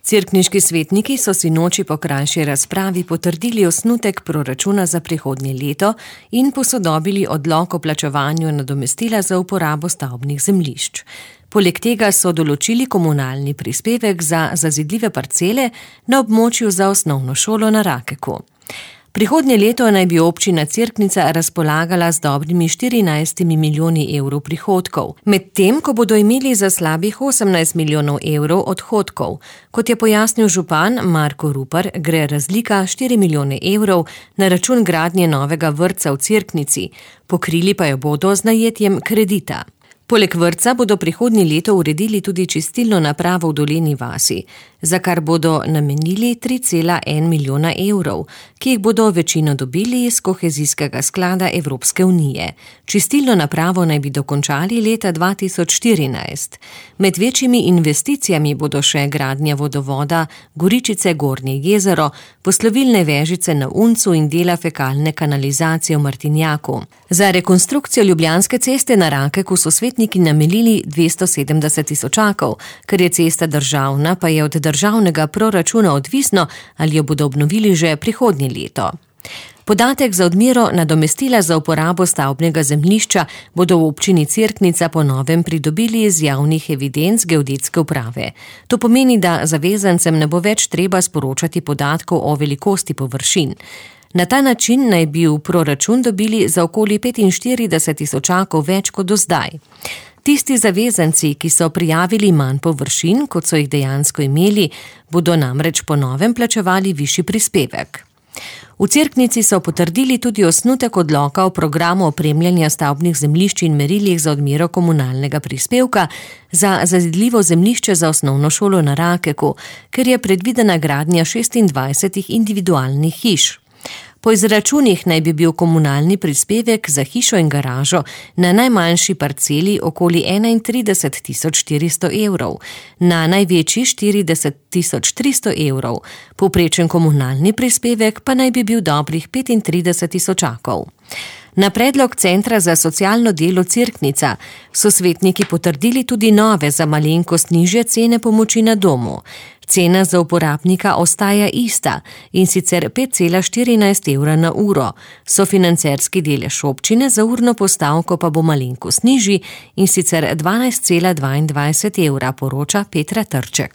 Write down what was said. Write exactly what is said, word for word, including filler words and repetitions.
Cerkniški svetniki so sinoči po krajši razpravi potrdili osnutek proračuna za prihodnje leto in posodobili odlok o plačevanju nadomestila za uporabo stavbnih zemljišč. Poleg tega so določili komunalni prispevek za zazidljive parcele na območju za osnovno šolo na Rakeku. Prihodnje leto naj bi občina Cerknica razpolagala z dobrimi štirinajstimi milijoni evrov prihodkov, medtem ko bodo imeli za slabih osemnajst milijonov evrov odhodkov. Kot je pojasnil župan Marko Rupar, gre razlika štiri milijone evrov na račun gradnje novega vrtca v Cerknici, pokrili pa jo bodo z najetjem kredita. Poleg vrtca bodo prihodnje leto uredili tudi čistilno napravo v Dolenji vasi, za kar bodo namenili tri cela en milijona evrov, ki jih bodo večino dobili iz kohezijskega sklada Evropske unije. Čistilno napravo naj bi dokončali leta dva tisoč štirinajst. Med večjimi investicijami bodo še gradnja vodovoda Goričice Gornje jezero, poslovilne vežice na Uncu in dela fekalne kanalizacije v Martinjaku. Za rekonstrukcijo Ljubljanske ceste na Rakeku so svetniki namenili dvesto sedemdeset tisočakov, ker je cesta državna, pa je od državnega proračuna odvisno, ali jo bodo obnovili že prihodnje leto. Podatek za odmero nadomestila za uporabo stavbnega zemljišča bodo v občini Cerknica po novem pridobili iz javnih evidenc geodetske uprave. To pomeni, da zavezancem ne bo več treba sporočati podatkov o velikosti površin. Na ta način naj bi v proračun dobili za okoli petinštirideset tisočakov več kot do zdaj. Tisti zavezanci, ki so prijavili manj površin, kot so jih dejansko imeli, bodo namreč po novem plačevali višji prispevek. V Cerknici so potrdili tudi osnutek odloka o programu opremljanja stavbnih zemljišč in merilih za odmero komunalnega prispevka za zazidljivo zemljišče za osnovno šolo na Rakeku, ker je predvidena gradnja šestindvajsetih individualnih hiš. Po izračunih naj bi bil komunalni prispevek za hišo in garažo na najmanjši parceli okoli enaintrideset tisoč štiristo evrov, na največji štirideset tisoč tristo evrov, povprečen komunalni prispevek pa naj bi bil dobrih petintrideset tisočakov. Na predlog Centra za socialno delo Cerknica so svetniki potrdili tudi nove za malenkost nižje cene pomoči na domu. Cena za uporabnika ostaja ista, in sicer pet cela štirinajst evra na uro. Sofinancerski delež občine za urno postavko pa bo malenkost nižji, in sicer dvanajst cela dvaindvajset evra, poroča Petra Trček.